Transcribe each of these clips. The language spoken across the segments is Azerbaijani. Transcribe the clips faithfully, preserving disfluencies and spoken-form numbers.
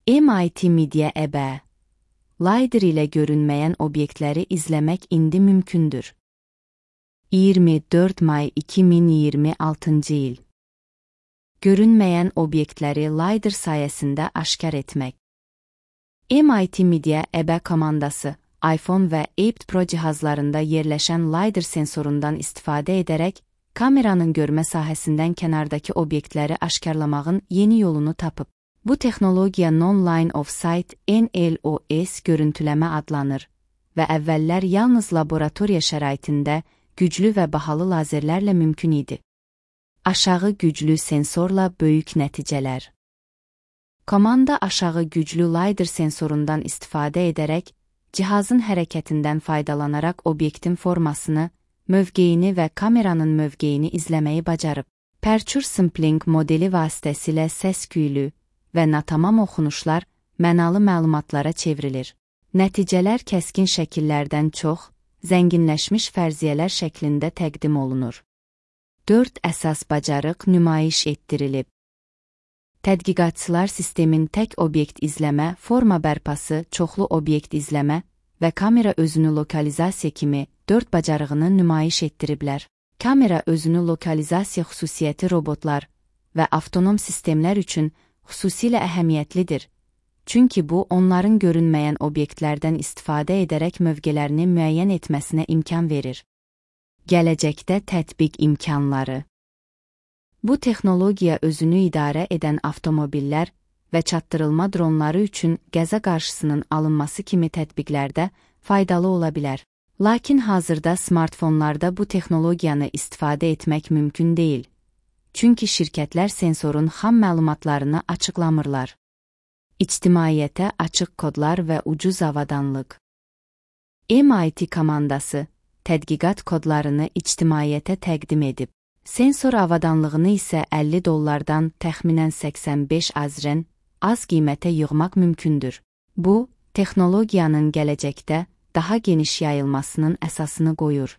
M I T Media E B E LiDAR ilə görünməyən obyektləri izləmək indi mümkündür. iyirmi dörd may iki min iyirmi altıncı il. Görünməyən obyektləri LiDAR sayəsində aşkar etmək. M I T Media E B E komandası iPhone və iPad Pro cihazlarında yerləşən LiDAR sensorundan istifadə edərək kameranın görmə sahəsindən kənardakı obyektləri aşkarlamağın yeni yolunu tapıb. Bu texnologiya Non-Line of Sight N L O S görüntüləmə adlanır və əvvəllər yalnız laboratoriya şəraitində güclü və bahalı lazerlərlə mümkün idi. Aşağı güclü sensorla böyük nəticələr. Komanda aşağı güclü LiDAR sensorundan istifadə edərək, cihazın hərəkətindən faydalanaraq obyektin formasını, mövqeyini və kameranın mövqeyini izləməyi bacarıb. Aperture Sampling modeli vasitəsilə səs-küylü və natamam oxunuşlar mənalı məlumatlara çevrilir. Nəticələr kəskin şəkillərdən çox, zənginləşmiş fərziyyələr şəklində təqdim olunur. Dörd əsas bacarıq nümayiş etdirilib. Tədqiqatçılar sistemin tək obyekt izləmə, forma bərpası, çoxlu obyekt izləmə və kamera özünü lokalizasiya kimi dörd bacarığını nümayiş etdiriblər. Kamera özünü lokalizasiya xüsusiyyəti robotlar və avtonom sistemlər üçün xüsusilə əhəmiyyətlidir, çünki bu onların görünməyən obyektlərdən istifadə edərək mövqələrini müəyyən etməsinə imkan verir. Gələcəkdə tətbiq imkanları. Bu texnologiya özünü idarə edən avtomobillər və çatdırılma dronları üçün qəza qarşısının alınması kimi tətbiqlərdə faydalı ola bilər. Lakin hazırda smartfonlarda bu texnologiyanı istifadə etmək mümkün deyil. Çünki şirkətlər sensorun xam məlumatlarını açıqlamırlar. İctimaiyyətə açıq kodlar və ucuz avadanlıq. M I T komandası tədqiqat kodlarını ictimaiyyətə təqdim edib. Sensor avadanlığını isə əlli dollardan təxminən səksən beş azren az qiymətə yığmaq mümkündür. Bu, texnologiyanın gələcəkdə daha geniş yayılmasının əsasını qoyur.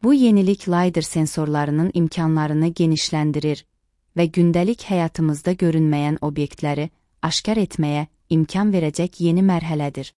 Bu yenilik LiDAR sensorlarının imkanlarını genişləndirir və gündəlik həyatımızda görünməyən obyektləri aşkar etməyə imkan verəcək yeni mərhələdir.